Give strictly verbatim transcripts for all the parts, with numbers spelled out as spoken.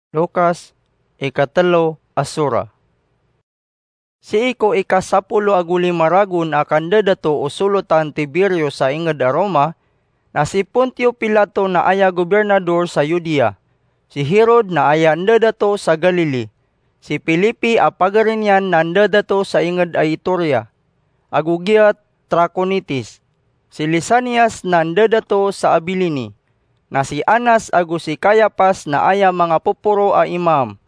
Lukas, ikatelo a sura. Sii ko ikasapolo ago lima ragon a kandadato o solotan Tiberio sa inged a Roma, na si Pontio Pilato na aya gobernador sa Judea, si Herod na aya ndadato sa Galili, si Felipe a pagari niyan na ndadato sa inged a Iturea, ago giya Traconitis, si Lisanias na ndadato sa Abilini, na si Anas ago si Cayapas na aya manga poporo a imam.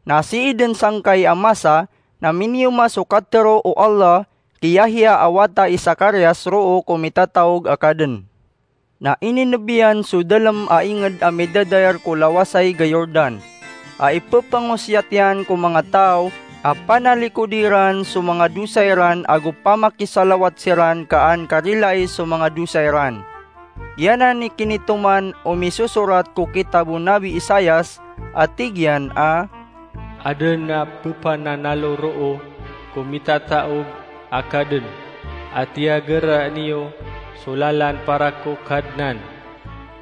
Na sii den sangkai a masa na miniyoma so katero o Allah ki Yahya a wata i Zacarias roo ko mitataog a kaden. Na ininebiyan so dalem a inged a midadayar ko lawasayg a Jordan, a ipepangosiyat iyan ko manga taw a panalikodi ran so manga dosa iran ago pamakisalawat siran ka an karilai so manga dosa iran. Giyanan i kinitoman o misosorat ko kitab o Nabi Isaias a tig iyan a, "Aden a pepananalo roo ko mitataog a kaden, a tiyagera niyo so lalan para ko Kadnan.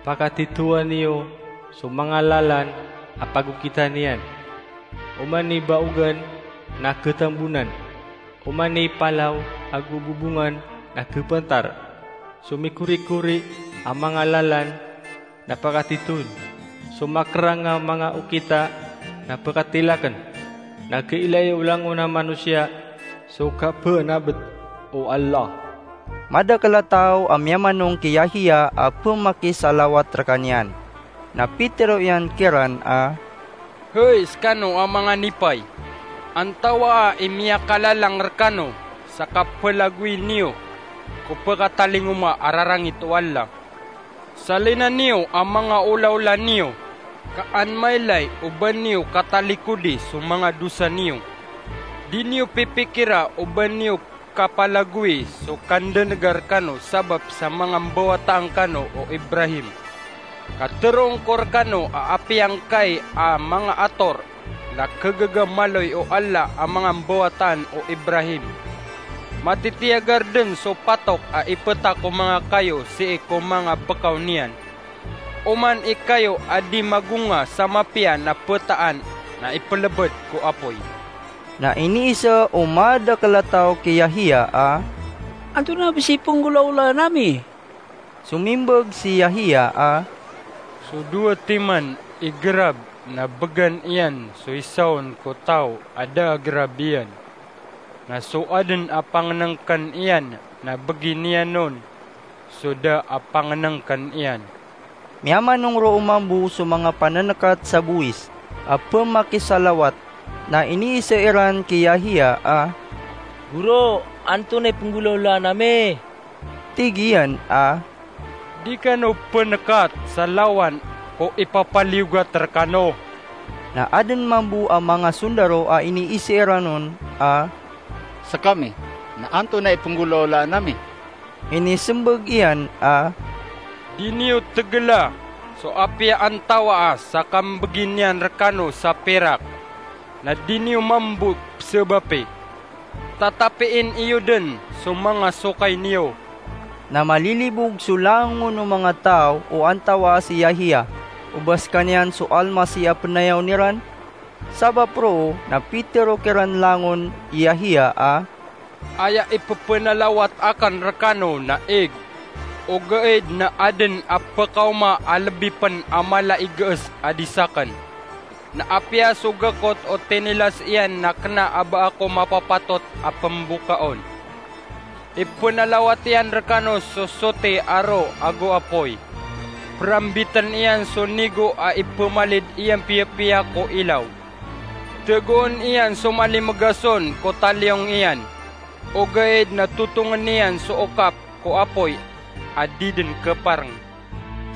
Pakatitowan iyo so manga lalan a pagokitan iyan. Oman i baogan na ketembonan, oman i palaw ago bobongan na kepentar. So mikorikori a manga lalan na pakatitoon, so makerang a manga okita na pekatilaken. Na kailay o langon a manosiya so kapenabet o Allah." Madakel a taw a miyamanong ki Yahya a pemakisalawat rekaniyan. Na pitero iyan kiran a, "Hay sekano a manga nipay, antawaa i miyakalalang rekano sa kapelagoy niyo ko pekatalingoma a rarangit o Allah? Salina niyo a manga olaola niyo, ka an mailay o ba niyo katalikodi so manga dosa niyo. Di niyo pipikira o ba niyo kapalagoyi so kandenega rekano sabap sa manga mbawataan kano o Ibrahim. Ka teroon ko rekano a apiya ngkai a manga ator na kegaga maloy o Allah a manga mbawataan o Ibrahim. Matitiyagar den so patok a ipeta ko manga kayo sii ko manga bekaw niyan. Oman i kayo a di magonga sa mapiya na petaan na ipelebed ko apoy." Na iniisa o madakel a taw ki Yahya a, "Antonaa bes i penggolaolaan ami?" Somimbag si Yahya a, "So dowa timan i gerab na began iyan so isa on ko taw a da a gerab iyan. Na so aden a pangenengken iyan na begi niyan on so da a pangenengken iyan." Miyamanong roo mambo so manga panenekat sa bowis a pemakisalawat, na iniisa iran ki Yahya a, "Goro, antonaa i penggolaolaan ami?" Tig iyan a, "Di kano penekat sa lawan ko ipapaliyogat rekano." Na aden mambo a manga sondaro a iniisa iran on a, "Sekami, na antonaa i penggolaolaan ami?" Inisembag iyan a, "Di niyo tegela so apiya antawaa sa kambegi niyan rekano sa pirak, na di niyo mambo pesebapi. Tatapiin iyo den so manga sokay niyo." Na malilibog so langon o manga taw o antawaa si Yahya, o ba sekaniyan so Almasih a penayawn iran. Sabap roo na pitero kiran langon i Yahya a, "Aya ipepenalawat aken rekano na ig, ogaid na aden a pekaoma a lebi pen a mala i gees a di saken. Na apiya so gekot o tinilas iyan na kena a ba ako mapapatot a pembokaon. Ipenalawat iyan rekano so soti a ro ago apoy. Perambiten iyan so nigo a ipemalid iyan piyapiya ko ilaw. Tegoon iyan so malimegas on ko taliyong iyan, ogaid na totongen iyan so okap ko apoy a di den kepareng."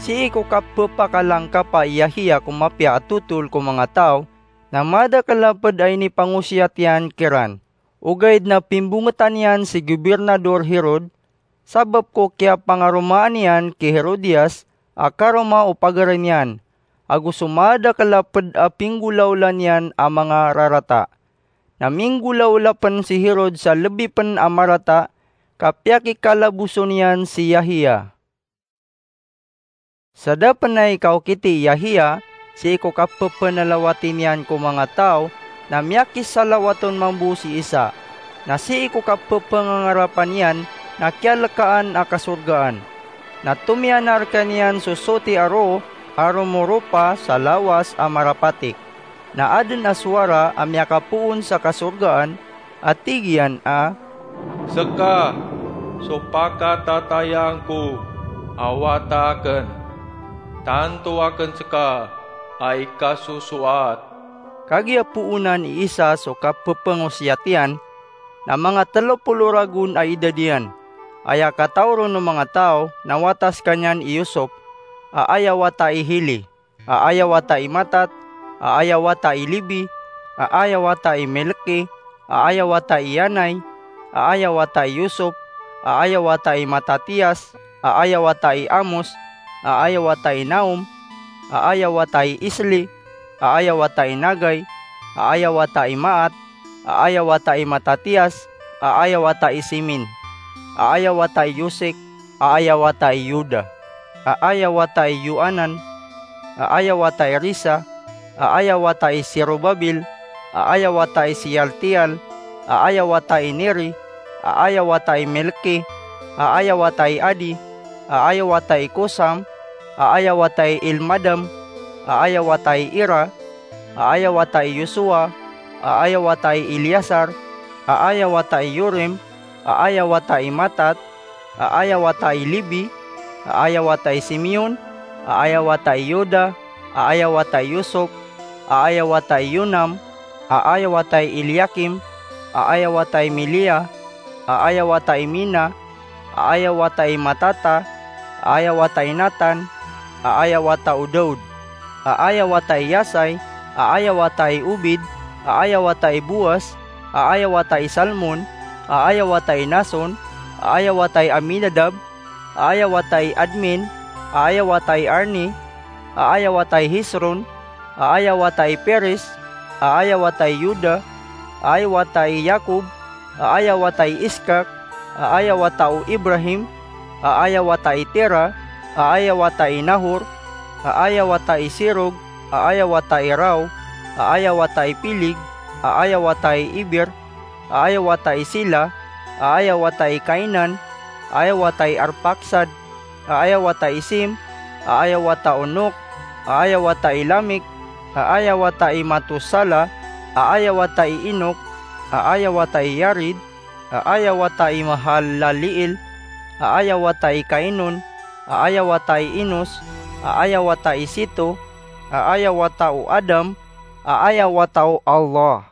Sii ko kapepakalangkapa i Yahya ko mapiya a totol ko manga taw, na madakel a ped a inipangosiyat iyan kiran. Ogaid na pimbongetan iyan si Gobirnador Herod, sabap ko kiyapangaromaan iyan ki Herodias a karoma o pagari niyan, ago so madakel a ped a pinggolaola niyan a manga rarata. Na minggolaola pen si Herod sa lebi pen a marata, ka piyakikalaboson iyan si Yahya. Sa da pen a ikaokit i Yahya, sii ko kapephanalawati niyan ko manga taw, na miyakisalawaton mambo si Isa. Na sii ko kapepangangarapan iyan na kiyalekaan a kasorgaan. Na tomiyanar kaniyan so soti a roo a romoropa sa lawas a marapatik. Na aden a sowara a miyakapoon sa kasorgaan a tig iyan a, "Seka so pakatatayang ko a wata aken. Tanto aken seka a ikasosoat." Kagiya poonan i Isa so kapepangosiyat iyan, na manga telo polo ragon a idad iyan. Aya kataw ron o manga taw na wata sekaniyan i Yusop, a aya wata i Heli, a aya wata i Matat, a aya wata i Lebi, a aya wata i Melki, a aya wata i Yanai, a aya wata i Yusop, a aya wata i Matatias, a aya wata i Amos, a aya wata i Nahom, a aya wata i Esli, a aya wata i Nagai, a aya wata i Maat, a aya wata i Matatias, a aya wata i Semin, a aya wata i Yosek, a aya wata i Yoda, a aya wata i Yohanan, a aya wata i Resa, a aya wata i Serubabel, a aya wata i Sealtiel, a aya wata i Neri, a aya wata i Melki, a aya wata i Adi, a aya wata i Kosam, a aya wata i Elmadam, a aya wata i Ira, a aya wata i Yosua, a aya wata i Eliasar, a aya wata i Yorim, a aya wata i Matat, a aya wata i Lebi, a aya wata i Simeon, a aya wata i Yoda, a aya wata i Yosop, a aya wata i Yonam, a aya wata i Eliakim, a aya wata i Melea, a aya wata i Mena, a aya wata i Matata, a aya wata i Natan, a aya wata o Daud, a aya wata i Yasai, a aya wata i Obed, a aya wata i Boas, a aya wata i Salmon, a aya wata i Nason, a aya wata i Aminadab, a aya wata i Admin, a aya wata i Arni, a aya wata i Hesron, a aya wata i Peres, a aya wata i Yuda, a aya wata i Yakob, a aya wata i Iskak, a aya wata o Ibrahim, a aya wata i Tera, a aya wata i Nahor, a aya wata i Serug, a aya wata i Rau, a aya wata i Pilig, a aya wata i Eber, a aya wata i Sela, a aya wata i Kainan, a aya wata i Arpaksad, a aya wata i Sem, a aya wata o Nok, a aya wata i Lamek, a aya wata i Matusala, a aya wata i Enok, a aya wata i Yared, a aya wata i Mahalaleel, a aya wata i Kainon, a aya wata i Enos, a aya wata i Seto, a aya wata o Adam, a aya wata o Allah.